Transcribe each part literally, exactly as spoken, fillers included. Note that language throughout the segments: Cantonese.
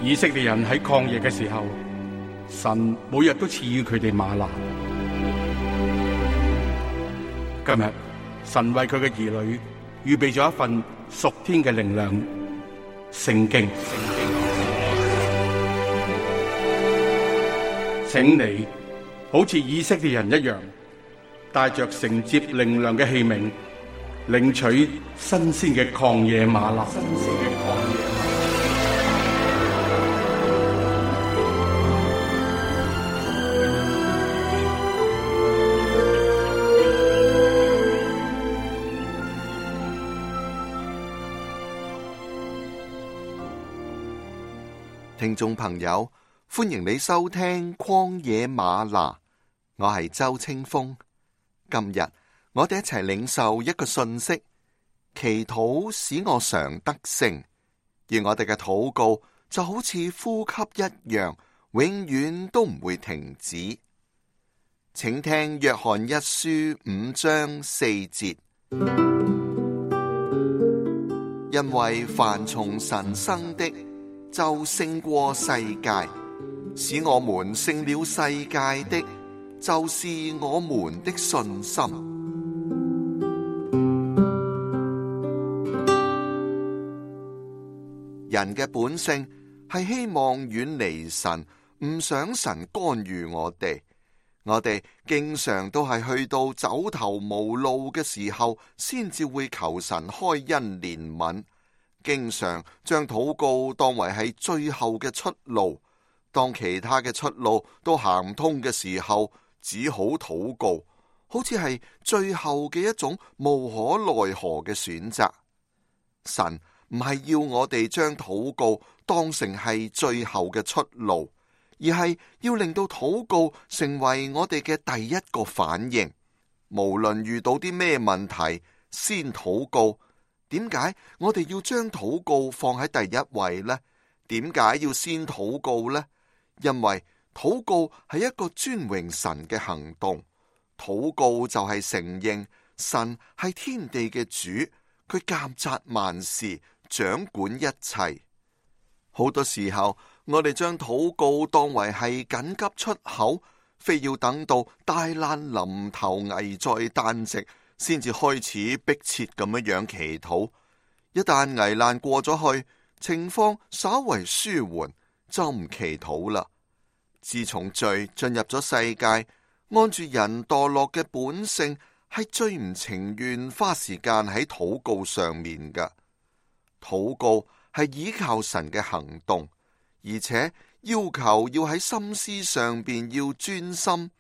以色列人喺曠野嘅時候，神每日都賜予佢哋嗎哪。今日神為佢嘅兒女預備咗一份屬天嘅靈糧——聖經。請你好似以色列人一樣，帶着承接靈糧嘅器皿，領取新鮮嘅曠野嗎哪。聽眾朋友，歡迎你收聽曠野嗎哪，我係周清風。今日我哋一齊領受一個信息，祈禱使我常得勝，而我哋嘅禱告就好似呼吸一樣，永遠都唔會停止。請聽約翰一書五章四節，因為凡從神生的，就勝過世界，使我們勝了世界的，就是我們的信心。人嘅本性係希望遠離神，唔想神干預我哋。我哋經常都係去到走投無路嘅時候，先至會求神開恩憐憫。經常將禱告當為係最後嘅出路，當其他嘅出路都行唔通嘅時候，只好禱告，好似係最後嘅一種無可奈何嘅選擇。神唔係要我哋將禱告當成係最後嘅出路，而係要令到禱告成為我哋嘅第一個反應。無論遇到啲咩問題，先禱告。點解我哋要將禱告放喺第一位呢？點解要先禱告呢？因為禱告係一個尊榮神嘅行動，禱告就係承認神係天地嘅主，佢監察萬事，掌管一切。好多時候，我哋將禱告當為係緊急出口，非要等到大難臨頭、危在旦夕，先至開始迫切咁樣樣祈禱。一旦危難過咗去，情況稍為舒緩，就唔祈禱啦。自從罪進入咗世界，按住人墮落嘅本性，係最唔情願花時間喺禱告上面㗎。禱告係依靠神嘅行動，而且要求要喺心思上邊要專心。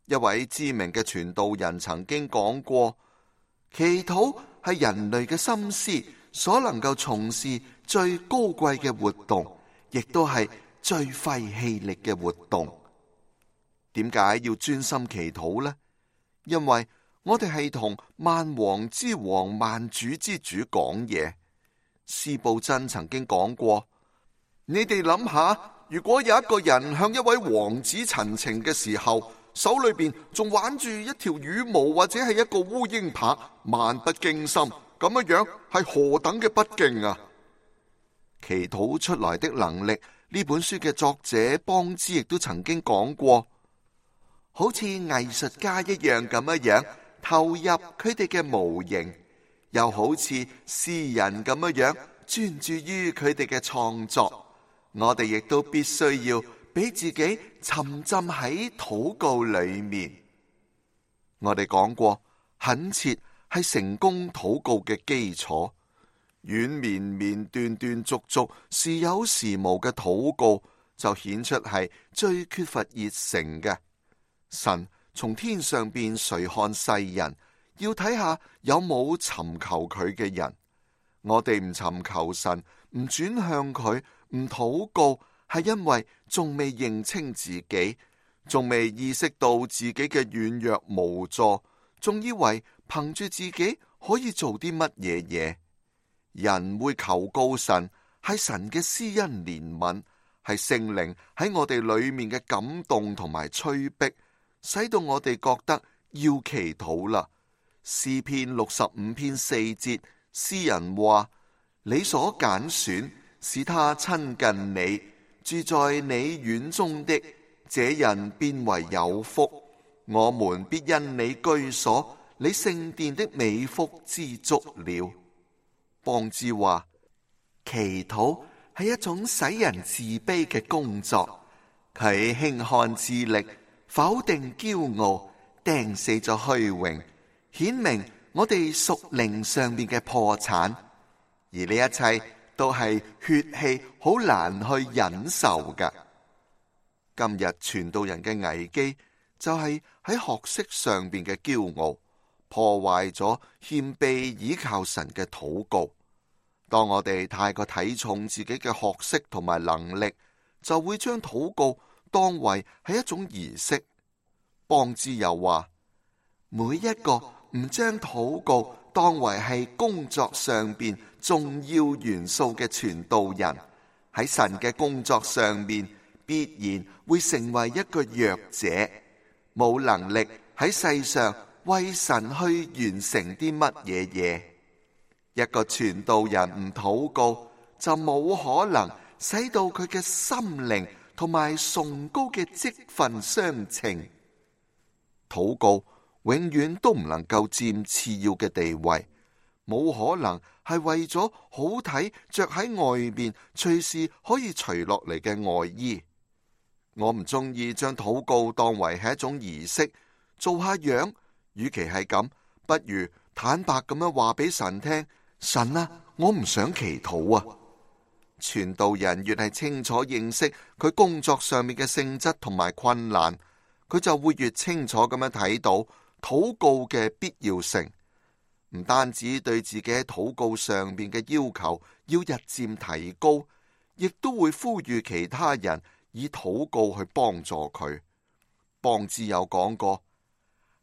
一位知名嘅傳道人曾經講過，祈禱係人類嘅心思所能夠從事最高貴嘅活動，亦都係最費氣力嘅活動。點解要專心祈禱呢？因為我哋係同萬王之王、萬主之主講嘢。司布真曾經講過，你哋諗下，如果有一個人向一位王子陳情嘅時候，手裏邊仲挽住一條羽毛或者係一個烏蠅拍，漫不經心，咁樣樣係何等嘅不敬啊！祈禱出來的能力，呢本書嘅作者邦茲亦都曾經講過，好似藝術家一樣咁樣樣投入佢哋嘅模型，又好似詩人咁樣樣專注於佢哋嘅創作。我哋亦都必須要俾自己沉浸喺禱告裏面。我哋講過，懇切係成功禱告嘅基礎。軟綿綿、斷斷續續、時有時無嘅禱告，就顯出係最缺乏熱誠嘅。神從天上邊垂看世人，要睇下有冇尋求佢嘅人。我哋唔尋求神，唔轉向佢，唔禱告，係因為仲未認清自己，仲未意識到自己嘅軟弱無助，仲以為憑住自己可以做啲乜嘢嘢。人會求告神，係神嘅施恩憐憫，係聖靈喺我哋裏面嘅感動同埋催逼，使到我哋覺得要祈禱啦。詩篇六十五篇四節，詩人話：你所揀選，使他親近你，住在你院中的，這人便為有福。我們必因你居所，你聖殿的美福知足了。邦茲話，祈禱係一種使人自卑嘅工作，佢輕看智力，否定驕傲，釘死咗虛榮，顯明我哋屬靈上面嘅破產，而呢一切都係血氣好難去忍受㗎。今日傳道人嘅危機就係喺學識上邊嘅驕傲，破壞咗謙卑倚靠神嘅禱告。當我哋太過睇重自己嘅學識同埋能力，就會將禱告當為係一種儀式。邦茲又話，每一個唔將禱告當為係工作上邊重要元素嘅傳道人，喺神嘅工作上面必然會成為一個弱者，冇能力喺世上為神去完成啲乜嘢嘢。一個傳道人唔禱告，就冇可能使到佢嘅心靈同埋崇高嘅職分相稱。禱告永遠都唔能夠佔次要嘅地位，冇可能係為咗好睇着喺外面隨時可以除落嚟嘅外衣。我唔中意將禱告當為係一種儀式，做下樣。與其係咁，不如坦白咁樣話俾神聽，神啊，我唔想祈禱啊。傳道人越係清楚認識佢工作上面嘅性質同埋困難，佢就會越清楚咁樣睇到禱告嘅必要性。唔單止對自己喺禱告上面嘅要求要日漸提高，亦都會呼籲其他人以禱告去幫助佢。邦茲有講過，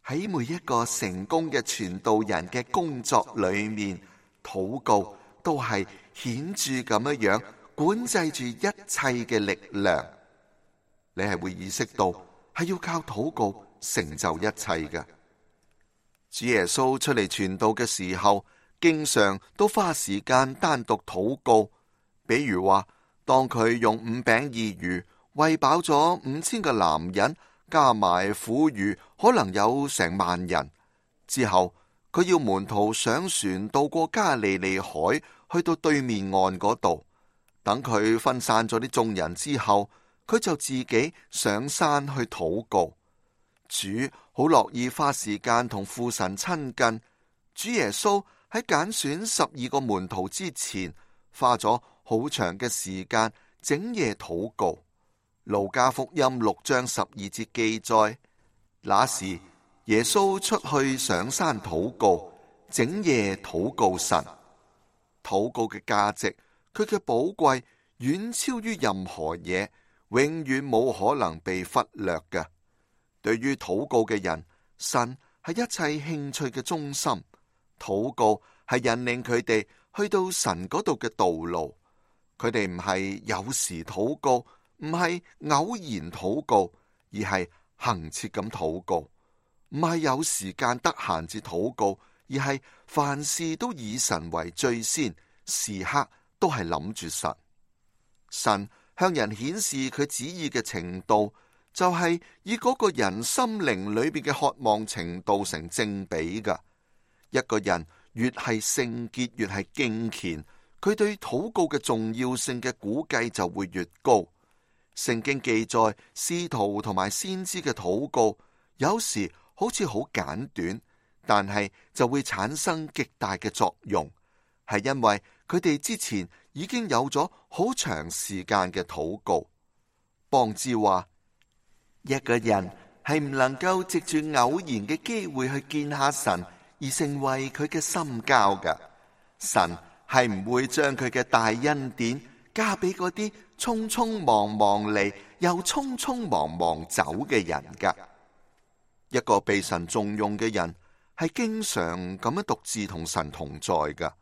喺每一個成功嘅傳道人嘅工作裏面，禱告都係顯著咁樣樣管制住一切嘅力量。你係會意識到係要靠禱告成就一切嘅。主耶穌出嚟傳道嘅時候，經常都花時間單獨禱告。比如話，當佢用五餅二魚餵飽咗五千個男人，加埋婦孺可能有成萬人之後，佢要門徒上船渡過加利利海，去到對面岸嗰度。等佢分散咗啲眾人之後，佢就自己上山去禱告。主好樂意花時間同父神親近。主耶穌喺揀選十二個門徒之前，花咗好長嘅時間整夜禱告。路加福音六章十二節記載，那時耶穌出去上山禱告，整夜禱告神。禱告嘅價值，佢嘅寶貴遠超於任何嘢，永遠冇可能被忽略嘅。對於禱告嘅人，神係一切興趣嘅中心。禱告係引領佢哋去到神嗰度嘅道路。佢哋唔係有時禱告，唔係偶然禱告，而係恆切咁禱告。唔係有時間得閒至禱告，而係凡事都以神為最先，時刻都係諗住神。神向人顯示佢旨意嘅程度，就係以嗰個人心靈裏邊嘅渴望程度成正比噶。一個人越係聖潔，越係敬虔，佢對禱告嘅重要性嘅估計就會越高。聖經記載使徒同埋先知嘅禱告，有時好似好簡短，但係就會產生極大嘅作用，係因為佢哋之前已經有咗好長時間嘅禱告。邦茲話，一個人係唔能夠藉住偶然嘅機會去見下神而成為佢嘅心交㗎。神係唔會將佢嘅大恩典加俾嗰啲匆匆忙忙嚟又匆匆忙忙走嘅人㗎。一個被神重用嘅人係經常咁樣獨自同神同在㗎。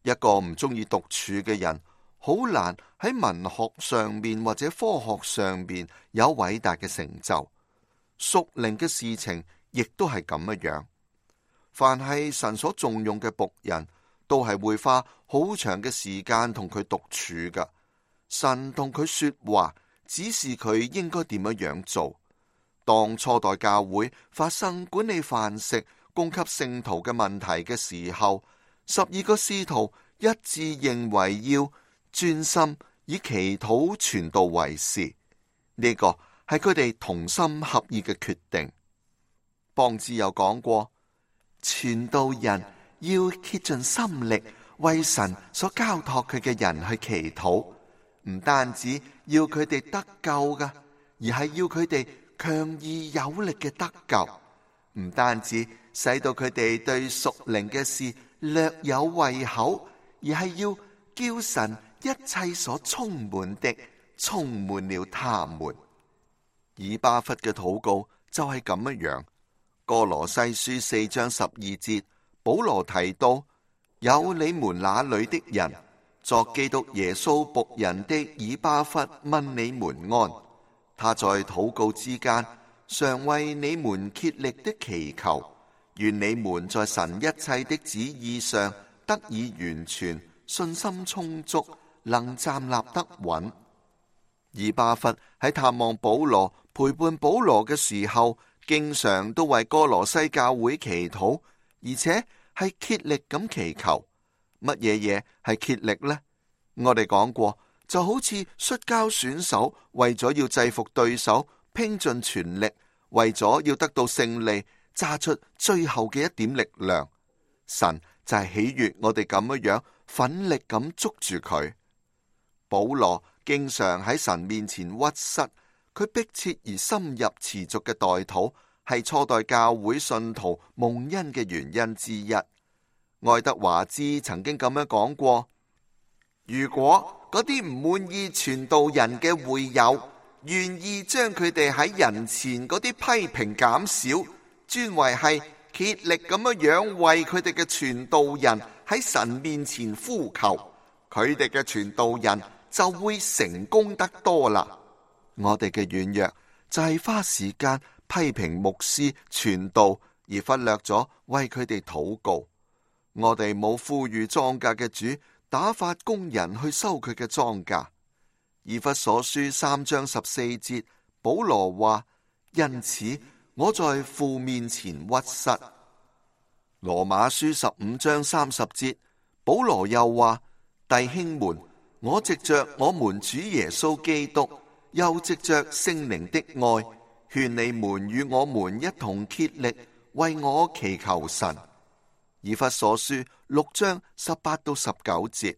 一個唔中意獨處嘅人，好難喺文學上面或者科學上面有偉大嘅成就。屬靈嘅事情亦都係咁樣。凡係神所重用嘅僕人，都係會花好長嘅時間同佢獨處噶。神同佢說話，指示佢應該點樣樣做。當初代教會發生管理飯食、供給聖徒嘅問題嘅時候，十二個使徒一致認為要專心以祈禱傳道為事，呢個係佢哋同心合意嘅決定。邦茲有講過，傳道人要竭盡心力為神所交託佢嘅人去祈禱，唔單止要佢哋得救噶，而係要佢哋強而有力嘅得救，唔單止使到佢哋對屬靈嘅事略有胃口，而係要叫神一切所充滿的充滿了他們。以巴弗嘅禱告就係咁樣樣。歌羅西書四章十二節，保羅提到，有你們那裏的人作基督耶穌僕人的以巴弗問你們安，他在禱告之間常為你們竭力的祈求，願你們在神一切的旨意上得以完全，信心充足，能站立得穩。以巴弗喺探望保羅、陪伴保羅嘅時候，經常都為歌羅西教會祈禱，而且係竭力咁祈求。乜嘢嘢係竭力呢？我哋講過，就好似摔跤選手為咗要制服對手，拼盡全力，為咗要得到勝利，揸出最後嘅一點力量。神就係喜悅我哋咁樣樣，奮力咁捉住佢。保羅經常喺神面前屈膝，佢迫切而深入持續嘅代禱，係初代教會信徒蒙恩嘅原因之一。愛德華茲曾經咁樣講過，如果嗰啲唔滿意傳道人嘅會友願意將佢哋喺人前嗰啲批評減少，專為係竭力咁樣樣為佢哋嘅傳道人喺神面前呼求，佢哋嘅傳道人就會成功得多啦。我哋嘅軟弱就係花時間批評牧師傳道，而忽略咗為佢哋禱告。我哋冇呼籲莊稼嘅主打發工人去收佢嘅莊稼。以弗所書三章十四節，保羅話：因此我在父面前屈膝。羅馬書十五章三十節，保羅又話：弟兄們，我藉着我們主耶穌基督，又藉着聖靈的愛，勸你們與我們一同竭力為我祈求神。以弗所書六章十八到十九節，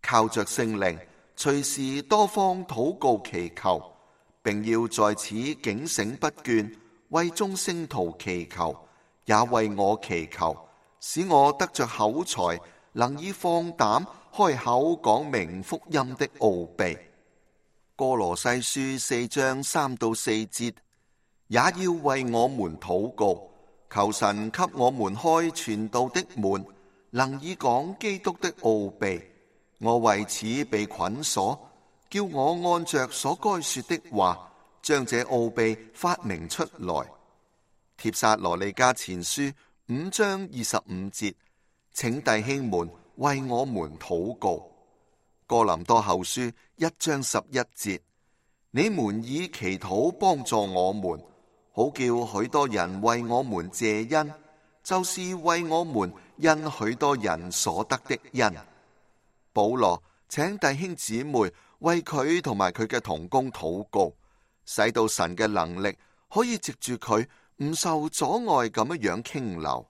靠着聖靈，隨時多方禱告祈求，並要在此警醒不倦，為眾聖徒祈求，也為我祈求，使我得着口才，能以放膽開口講明福音的奧秘。歌羅西書四章三到四節，也要為我們禱告，求神給我們開傳道的門，能以講基督的奧秘。我為此被捆鎖，叫我按着所該說的話，將這奧秘發明出來。帖撒羅尼迦前書五章二十五節，請弟兄們為我們禱告。哥林多後書一章十一節，你們以祈禱幫助我們，好叫許多人為我們謝恩，就是為我們因許多人所得的恩。保羅請弟兄姊妹為佢同埋佢嘅同工禱告，使到神嘅能力可以藉住佢唔受阻礙咁樣樣傾流。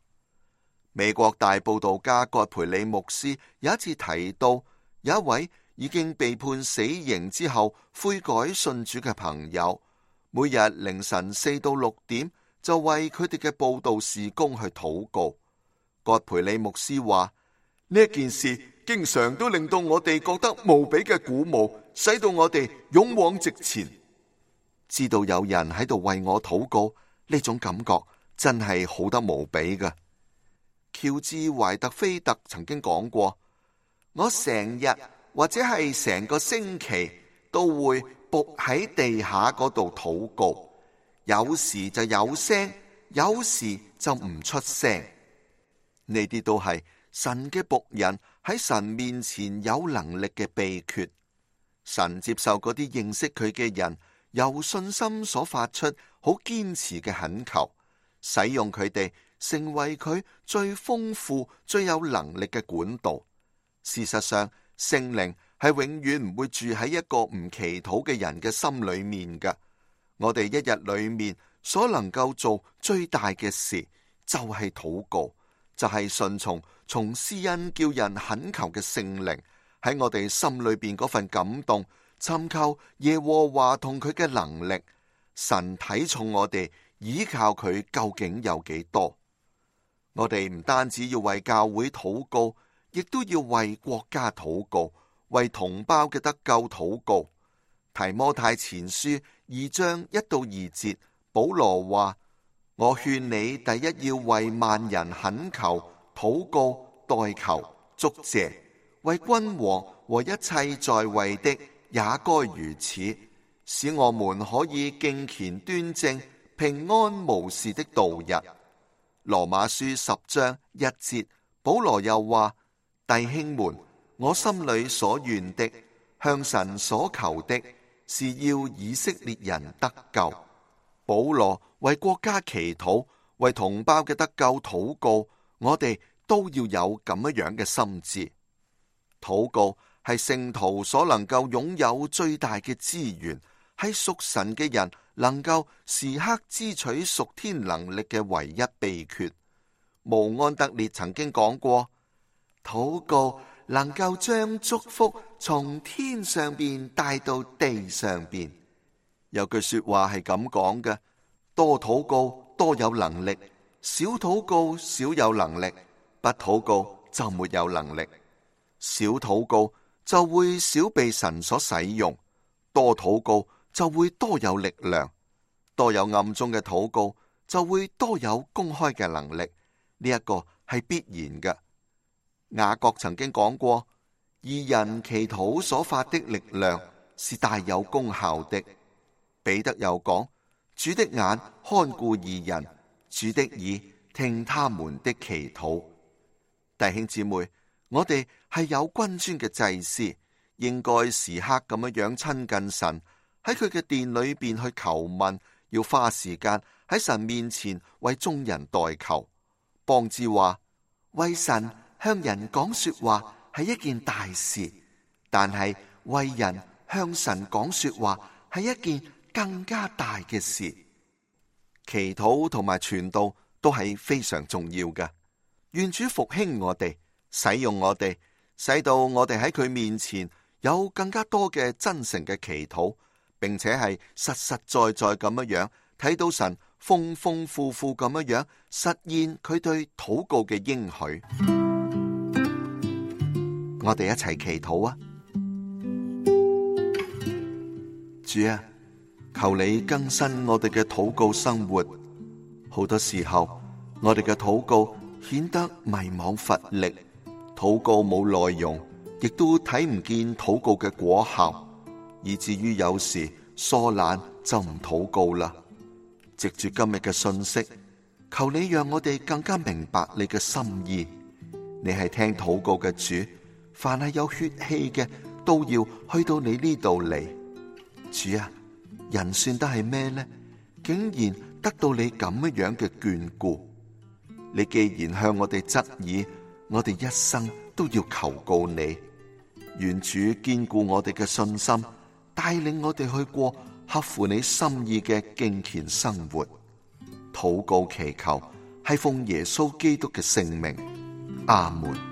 美國大佈道家葛培理牧師有一次提到，有一位已經被判死刑之後悔改信主嘅朋友，每日凌晨四到六點就為佢哋嘅佈道事工去禱告。葛培理牧師話：呢件事經常都令到我哋覺得無比嘅鼓舞，使到我哋勇往直前。知道有人喺度為我禱告，呢種感覺真係好得無比㗎。喬治懷特菲特曾經講過：我成日或者係成個星期都會伏喺地下嗰度禱告，有時就有聲，有時就唔出聲。呢啲都係神嘅僕人喺神面前有能力嘅秘訣。神接受嗰啲認識佢嘅人由信心所發出好堅持嘅懇求，使用佢哋成為佢最豐富、最有能力嘅管道。事實上，聖靈係永遠唔會住喺一個唔祈禱嘅人嘅心裏面嘅。我哋一日裏面所能夠做最大嘅事，就係禱告，就係順從從施恩叫人懇求嘅聖靈喺我哋心裏邊嗰份感動，尋求耶和華同佢嘅能力。神睇重我哋，依靠佢究竟有幾多？我哋唔單止要為教會禱告，亦都要為國家禱告，為同胞嘅得救禱告。提摩太前書二章一到二節，保羅話：我勸你第一要為萬人懇求、禱告、代求、祝謝，為君王和一切在位的也該如此，使我們可以敬虔端正、平安無事的度日。羅馬書十章一節，保羅又話：弟兄們，我心裏所願的，向神所求的，是要以色列人得救。保羅為國家祈禱，為同胞嘅得救禱告，我哋都要有咁樣嘅心志。禱告係聖徒所能夠擁有最大嘅資源，係屬神嘅人能夠時刻支取屬天能力嘅唯一秘訣。慕安德烈曾經講過，禱告能夠將祝福從天上邊帶到地上邊。有句說話係咁講嘅：多禱告多有能力，少禱告少有能力，不禱告就沒有能力。少禱告就會少被神所使用，多禱告就會多有力量。多有暗中嘅禱告，就會多有公開嘅能力。呢一個係必然嘅。雅各曾經講過，義人祈禱所發的力量是大有功效的。彼得又講，主的眼看顧義人，主的耳聽他們的祈禱。弟兄姊妹，我哋係有君尊嘅祭司，應該時刻咁樣樣親近神，喺佢嘅殿裏邊去求問，要花時間喺神面前為眾人代求。邦之話，為神向人講說話係一件大事，但係為人向神講說話係一件更加大嘅事。祈禱同埋傳道都係非常重要嘅。願主復興我哋，使用我哋，使到我哋喺佢面前有更加多嘅真誠嘅祈禱，並且係實實在在咁樣樣睇到神豐豐富富咁樣樣實現佢對禱告嘅應許。我哋一齊祈禱啊！主啊，求你更新我哋嘅禱告生活。好多時候我哋嘅禱告顯得迷惘乏力，禱告冇內容，亦都睇唔見禱告嘅果效，以至於有時疏懶就唔禱告啦。藉住今日嘅信息，求你讓我哋更加明白你嘅心意。你係聽禱告嘅主，凡係有血氣嘅都要去到你呢度嚟。主啊，人算得係咩呢？竟然得到你咁樣嘅眷顧。你既然向我哋側耳，我哋一生都要求告你。願主堅固我哋嘅信心，帶領我哋去過合乎你心意嘅敬虔生活。禱告祈求係奉耶穌基督嘅聖名，阿門。